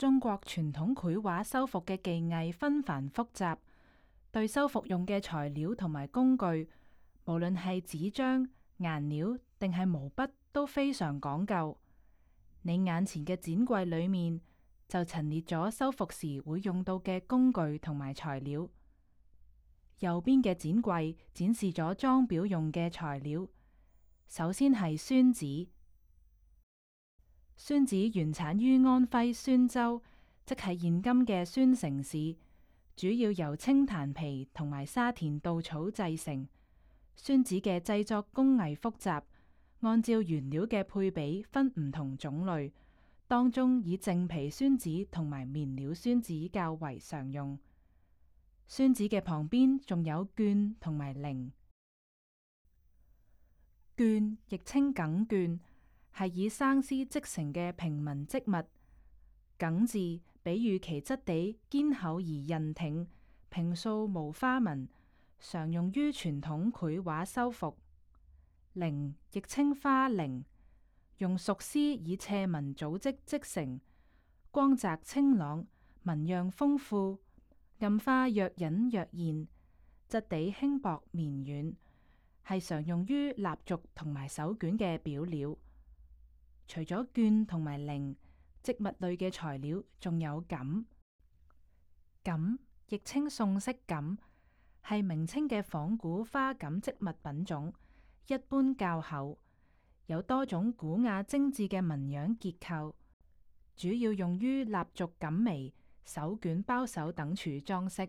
中國傳統繪畫修復嘅技藝紛繁複雜，對修復用嘅材料同埋工具，無論係紙張、顏料定係毛筆，都非常講究。你眼前嘅展櫃裏面就陳列咗修復時會用到嘅工具同埋材料。右邊嘅展櫃展示咗裝裱用嘅材料。首先係宣紙。宣紙原產於安徽宣州，即係現今嘅宣城市，主要由青檀皮同埋沙田稻草製成。宣紙嘅製作工藝複雜，按照原料嘅配比分唔同種類，當中以淨皮宣紙同埋面料宣紙較為常用。宣紙嘅旁邊仲有絹同埋綾。絹亦稱耿絹，係以生絲織成嘅平民織物。耿字比喻其質地堅厚而韌挺，平素無花紋，常用於傳統繪畫修復。綾亦稱花綾，用熟絲以斜紋組織織成，光澤清朗，紋樣豐富，暗花若隱若現，質地輕薄綿軟，係常用於蠟燭同埋手卷嘅表料。除咗絹同埋綾，織物類嘅材料仲有錦。錦亦稱宋式錦，係明清嘅仿古花錦織物品種，一般較厚，有多種古雅精緻嘅紋樣結構，主要用於蠟燭錦眉、手卷包手等處裝飾。